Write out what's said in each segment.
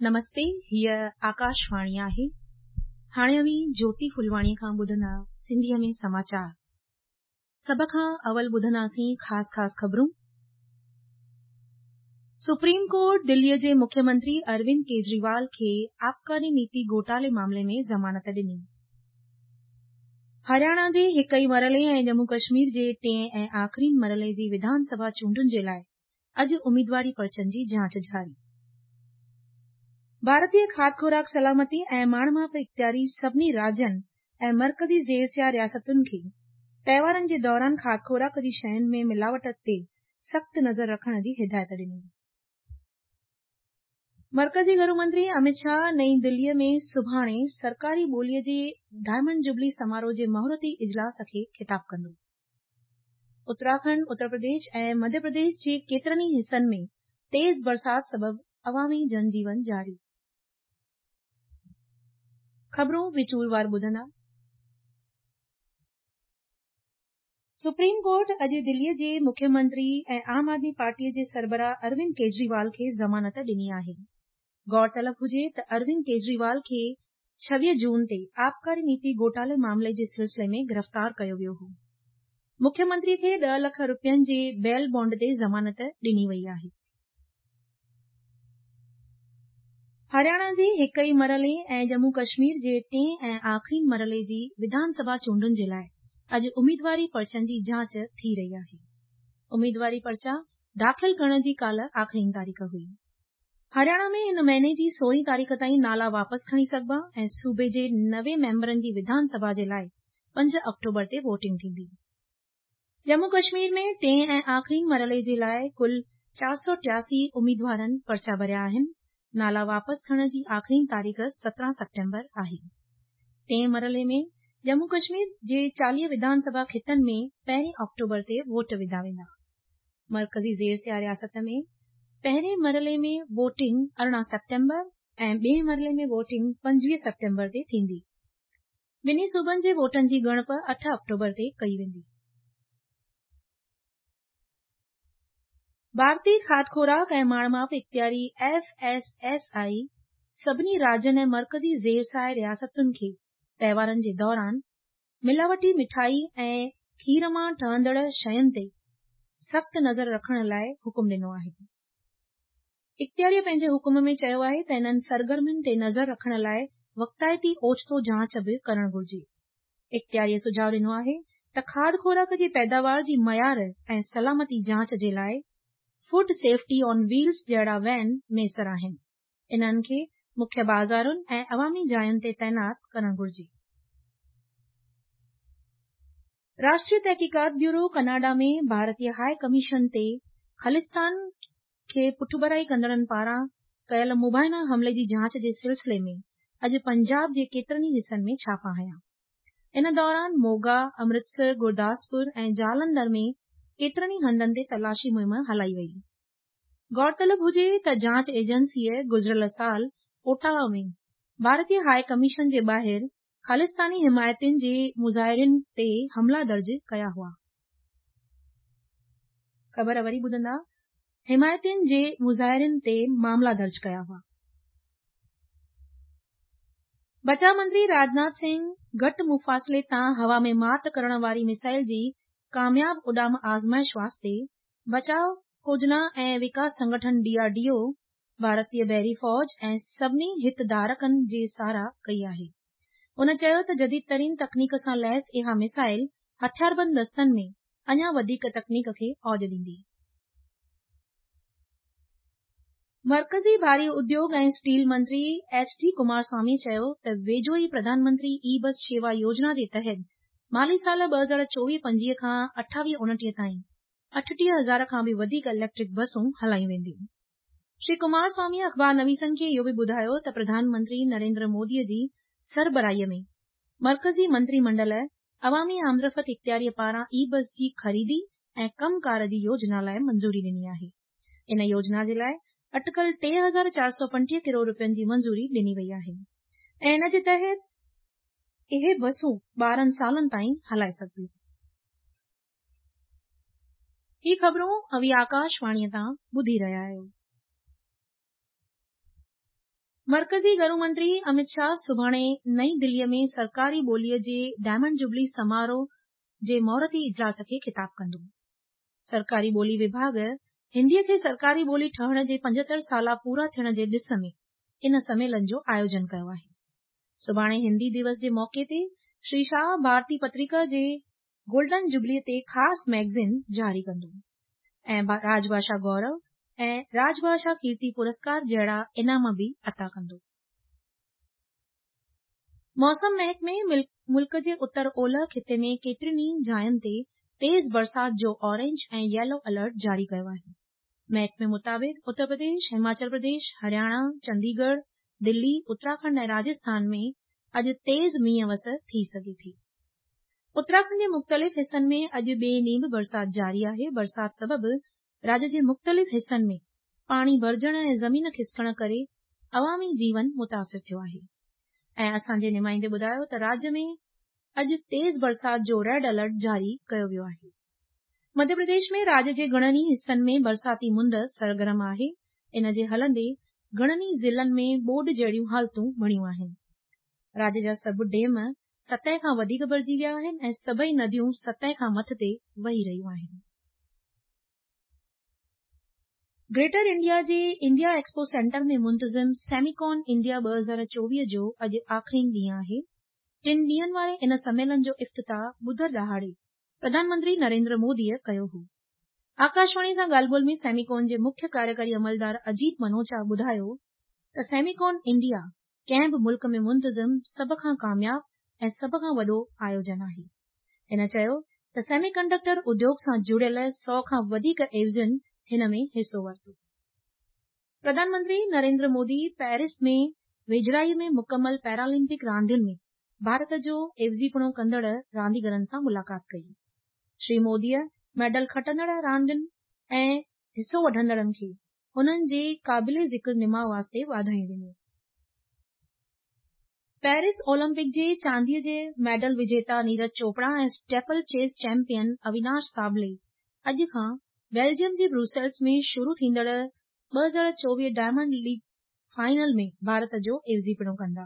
نمستي، هيء آڪاشواڻي آهي. هاڻي اوهين جوتي ڦلواڻيء کان ٻڌندا سنڌيء ۾ سماچار. سڀ کان اول ٻڌنداسين خاص خاص خبرون. سپريم ڪورٽ دليء جي مکيه منتري اروند ڪيجريوال کي آبڪاري نيتي گهوٽالي معاملي ۾ ضمانت ڏني. هرياڻا جي هڪ ئي مرحلي ۽ ڄمون ڪشمير جي ٽئين ۽ آخرين مرحلي جي وڌان سڀا چونڊن جي لاء اڄ اميدواري پرچن جي جاچ جاري. ڀارتي کاڌ خوراڪ سلامتي ۽ ماڻ ماپ اختياري سڀني راجين ۽ مرڪزي زير سيا رياستن کي تهوارن جي دوران کاڌ خوراڪ جي شين ۾ ملاوٽ تي سخت نظر رکڻ جي هدايت ڏني. مرڪزي گهرو منتري اميت شاهه نئين دهليء ۾ سڀاڻي سرڪاري ٻوليء جي ڊائمنڊ جوبلي سماروهه جي مهورتي اجلاس کي خطاب ڪندو. اتراکنڊ، اتر پرديش ۽ مڌيه پرديش جي ڪيترن ئي حصن ۾ تيز برسات سبب عوامي جن جيون جاري. خبرون وچور ٻڌندا. سپريم ڪورٽ اڄ دليء جي مکيه منتري ۽ عام آدمي پارٽيء جي سربراهه اروند ڪيجريوال کي ضمانت ڏني آهي. غور طلب هجي ته اروند ڪيجريوال کي 26 جون تي آبڪاري نيتي گهوٽالي معاملي جي سلسلي ۾ گرفتار ڪيو ويو هو. مکيه منتري کي 10 لک رپين جي بيل بانڊ تي ضمانت ڏني وئي آهي. هرياڻا جي هڪ ئي مرحلي ۽ ڄمون ڪشمير جي ٽئين ۽ آخرين مرحلي جي وڌان سڀا چونڊن جي لاء اڄ اميدواري پرچن جي جاچ ٿي رهي آهي. اميدواري پرچا داخل ڪرڻ جي ڪالهه آخرين تاريخ هئي. هرياڻا ۾ هن مهيني جي 16 تاريخ تائين نالا واپس کڻي سگهبا ۽ صوبي جي 90 ميمبرن جي وڌان سڀا جي لاء 5 آڪٽوبر تي ووٽنگ ٿيندي. ڄمون ڪشمير ۾ ٽئين ۽ آخرين مرحلي جي لاء ڪل 483 اميدوارن پرچا ڀريا آهن. نالا واپس کڻڻ جي آخرين تاريخ 17 سيپٽمبر آهي. ٽئين مرحلي ۾ ڄمون ڪشمير جي 40 وڌان سڀا خطن ۾ پهرين آڪٽوبر تي ووٽ وڌا ويندا. مرڪزي زير سيا رياست ۾ پهرين مرحلي ۾ ووٽنگ 18 سيپٽمبر ۽ ٻئي مرحلي ۾ ووٽنگ 25 سيپٽمبر تي ٿيندي. ٻنهي صوبن جي ووٽن جي ڳڻپ 8 آڪٽوبر تي ڪئي ويندي. ڀارتي کاڌ خوراڪ ۽ ماڻ ماپ اختياري ايف ايس ايس I سڀني راجين ۽ مرڪزي زير سايه رياستن کي تهوارن جي دوران ملاوٽي مٺائي ۽ کير مان ٺهندڙ شين تي سخت نظر رکڻ لاء حڪم ڏنو آهي. اختياريء پنهنجي حڪم ۾ چيو آهي ته انهن سرگرمين تي نظر رکڻ لاء وقتائتي اوچتو جاچ به ڪرڻ گهرجي. اختياريء سجهاء ڏنو آهي ته کاڌ خوراڪ جي پيداوار جي معيار ۽ سلامتي جاچ جي لاء فوڊ سيفٽي آن ويلز جهڙا وين ميسر آهن. انهن کي مکيه بازارن ۽ عوامي جاين تي تعينات ڪرڻ گهرجي. راشٽريه تحقيقات بيورو ڪئناڊا ۾ ڀارتي هاء ڪميشن تي خالصتان کي پٺڀرائي ڪندڙن پاران ڪيل مبينا حملي جي جاچ جي سلسلي ۾ اڄ پنجاب جي ڪيترن ئي حصن ۾ ڇاپا هنيا. ان دوران موگا، امرتسر، گرداسپور ۽ جالنڌر ۾ ڪيترن ئي هنڌن تي تلاشي مهم هلائي وئي. غور طلب هجي ته جاچ ايجنسيء گذريل سال اوٽاوا ۾ ڀارتي هاء ڪميشن جي ٻاهر خالصتاني حمايتين جي مظاهرين تي حملا درج ڪيا هئا. خبر وري ٻڌندا، حمايتين جي مظاهرين تي معاملا درج ڪيا هئا. بچاء منتري راجناٿ سنگهه گهٽ مفاصلي تان هوا ۾ مات ڪرڻ واري ميسائل جي ڪامياب اڏام آزمائش واسطي بچاء کوجنا ۽ وڪاس سنگٺن ڊي آر ڊي او، ڀارتي بحري فوج ۽ سڀني هتڌارڪن جي ساراهه ڪئي آهي. هن چيو ته جديد ترين تڪنيڪ سان ليس اها ميسائل هٿياربند دستن ۾ اڃا وڌيڪ تڪنيڪ کي اوج ڏيندي. مرڪزي ڀاري اديوگ ۽ اسٽيل منتري ايڇ ڊي ڪمار سوامي چيو ته ويجهو ئي پرڌان منتري اي بس شيوا يوجنا جي تحت مالي سال 2024-25 کان 28-29 تائين 38 هزار کان به وڌيڪ اليڪٽرڪ بسون هلايون وينديون. شري ڪمار سوامي اخبار نويسن کي اهو به ٻڌايو ته پرڌان منتري نريندر مودي جي سربراهي ۾ مرڪزي منتري منڊل عوامي آمدرفت اختياري پاران اي بس جي خريدي ۽ ڪم ڪار جي يوجنا لاء منظوري ڏني آهي. ان يوجنا جي لاء اٽڪل 3435 ڪروڙ رپين جي منظوري ڏني وئي آهي ۽ ان جي تحت اهي بسون 12 سالن تائين هلائي سگهبيون. هي خبرون اوهين آڪاشواڻيء تان ٻڌي رهيا آهيو. مرڪزي گهرو منتري امت شاهه سڀاڻي نئين دليء ۾ سرڪاري ٻوليء جي ڊائمنڊ جوبلي سماروهه جي مهورتي اجلاس کي خطاب ڪندو. سرڪاري ٻولي وڀاڳ هنديء کي سرڪاري ٻولي ٺهڻ جي 75 سالا پورا ٿيڻ جي ڏس ۾ ان سميلن جو آيوجن ڪيو آهي. سڀاڻي هندي ديوس جي موقعي تي شري شاهه ڀارتي پتريڪا جي گولڊن جوبليء تي خاص مئگزين جاري ڪندو ۽ راج ڀاشا گورو ۽ راج ڀاشا ڪيرتي پرسڪار جهڙا انعام به عطا ڪندو. موسم محڪمي ملڪ جي اتر اولهه خطي ۾ ڪيترين ئي جاين تي تيز برسات جو اورينج ۽ ييلو الرٽ جاري ڪيو آهي. محڪمي مطابق اتر پرديش، هماچل پرديش، هرياڻا، چنديڳڙهه، دلي، اتراکنڊ ۽ راجسٿان ۾ اڄ تيز مينهن وس ٿي سگهي ٿي. اتراکنڊ جي مختلف حصن ۾ اڄ ٻئي ڏينهن به برسات جاري آهي. برسات سبب راڄ جي مختلف حصن ۾ پاڻي ڀرجڻ ۽ زمين کسڪڻ ڪري عوامي جيون متاثر ٿيو آهي ۽ اسان جي نمائندي ٻڌايو ته راڄ ۾ اڄ تيز برسات جو ريڊ الرٽ جاري ڪيو ويو آهي. مڌيه پرديش ۾ راڄ جي گهڻن ئي حصن ۾ برساتي مند سرگرم آهي، ان جي هلندي گهڻن ئي ضلعن ۾ ٻوڏ جهڙيون حالتون بڻيون آهن. راڄ جا سڀ ڊيم سطح کان وڌيڪ ڀرجي ويا آهن ۽ سڀئي نديون سطح کان مٿتي وهي رهيون آهن. گريٽر انڊيا جي انڊيا ايڪسپو سينٽر ۾ منتظم سيميڪون انڊيا 2024 جو اڄ آخرين ڏينهن آهي. ٽن ڏينهن واري ان سميلن جو افتتاح ٻڌر ڏهاڙي پرڌان منتري نريندر موديء ڪيو هو. آڪاشواڻي سان ڳالهه ٻولهه ۾ سيميڪون جي مکيه ڪاريڪاري عملدار اجيت منوچا ٻڌايو ته سيميڪون انڊيا ڪنهن به ملڪ ۾ منتظم سڀ کان ڪامياب ۽ سڀ کان وڏو آيوجن آهي. هن چيو ته سيمي ڪنڊڪٽر اديوگ سان جڙيل 100 کان وڌيڪ عيوضين هن ۾ حصو ورتو. پرڌان منتري نريندر مودي پيرس ۾ ويجهڙائي ۾ مڪمل پيرالمپڪ راندين ۾ ڀارت جو عيوضيپڻو ڪندڙ رانديگرن سان ملاقات ڪئي. شري موديء ميڊل کٽندڙ راندين ۽ حصو وٺندڙن کي انهن جي قابل ذڪر نماء واسطي واڌايون ڏنيون. پيرس اولمپڪ جي چانديء جي medal وجيتا Neeraj Chopra ۽ steeplechase champion Avinash Sable اڄ کان بيلجيم جي بروسيلز ۾ شروع ٿيندڙ 2024 ڊائمنڊ ليگ فائنل ۾ ڀارت جو عيوضيپڻو ڪندا.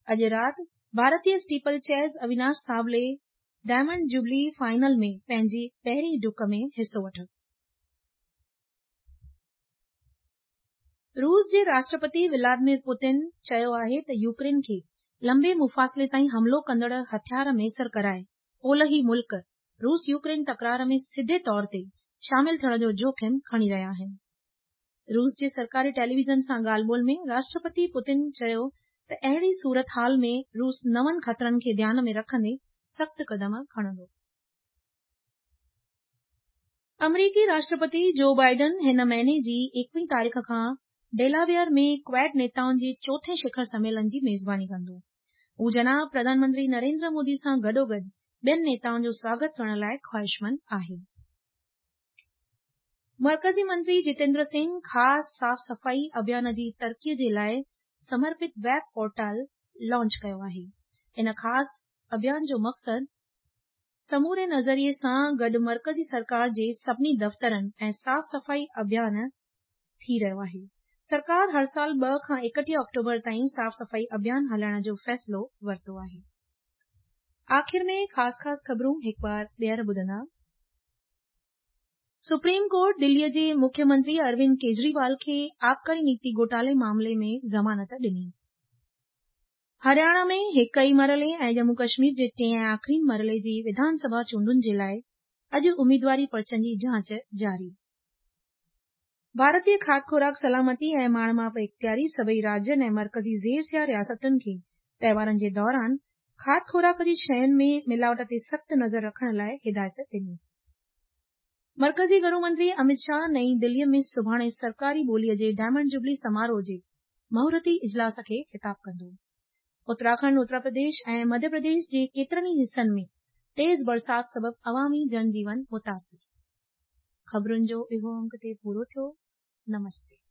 اڄ رات ڀارتي steeplechase Avinash Sable diamond jubilee final ۾ پنهنجي پهرين ڊڪ ۾ حصو وٺندو. روس جي راشٽرپتي ولادمير پوتن چيو آهي ته يوڪرين کي لنبي مفاصلي تائين حملو ڪندڙ هٿيار ميسر ڪرائي اولهي ملڪ روس يوڪرين تڪرار ۾ سڌي طور تي شامل ٿيڻ جو جوکم کڻي رهيا آهن. روس جي سرڪاري ٽيليويزن سان ڳالهه ٻولهه ۾ راشٽرپتي پوتن چيو ته اهڙي صورتحال ۾ روس نون خطرن کي ڌيان ۾ رکندي سخت قدم کڻندو. آمريڪي راشٽرپتي جو بائيڊن هن مهيني جي 21 تاريخ کان ڊيلاويئر ۾ ڪواڊ نيتائن جي چوٿين شکر سميلن جي ميزباني ڪندو. هو جناب پرڌان منتري نريندر مودي سان گڏوگڏ ٻين نيتائن جو سواگت ڪرڻ لاء خواهشمند آهي. مرڪزي منتري جتيندر سنگهه خاص صاف صفائي اڀيان جي ترقي جي لاء سمرپت ويب پورٽل لانچ ڪيو آهي. ان خاص اڀيان جو مقصد سموري نظريي سان گڏ مرڪزي سرڪار جي سڀني دفترن ۽ صاف صفائي اڀيان ٿي رهيو آهي. سرڪار هر سال 2 کان 31 آڪٽوبر تائين صاف صفائي اڀيان هلائڻ جو فيصلو ورتو آهي. آخر ۾ خاص خاص خبرون هڪ بار ٻيهر ٻڌندا. سپريم ڪورٽ دليء جي مکيه منتري اروند ڪيجريوال کي آبڪاري نيتي گهوٽالي معاملي ۾ ضمانت ڏني. هرياڻا ۾ هڪ ئي مرحلي ۽ ڄمون ڪشمير جي ٽئين ۽ آخرين مرحلي جي وڌان سڀا چونڊن جي لاء اڄ اميدواري پرچن جي جاچ جاري. ڀارتي کاڌ خوراڪ سلامتي ۽ ماڻ ماپ اختياري سڀئي راجين ۽ مرڪزي زير سيا رياستن کي تهوارن جي دوران کاڌ خوراڪ جي شين ۾ ملاوٽ تي سخت نظر رکڻ لاء هدايت ڏني. مرڪزي گهرو منتري امت شاهه نئين دليء ۾ سڀاڻي سرڪاري ٻوليء جي ڊائمنڊ جوبلي سماروهه جي مهورتي اجلاس کي خطاب ڪندو. اتراکنڊ، اتر پرديش ۽ مڌيه پرديش جي ڪيترن ئي حصن ۾ تيز برسات سبب عوامي جن جيون متاثر. خبرن جو اهو انگ تي پورو ٿيو. نمستي.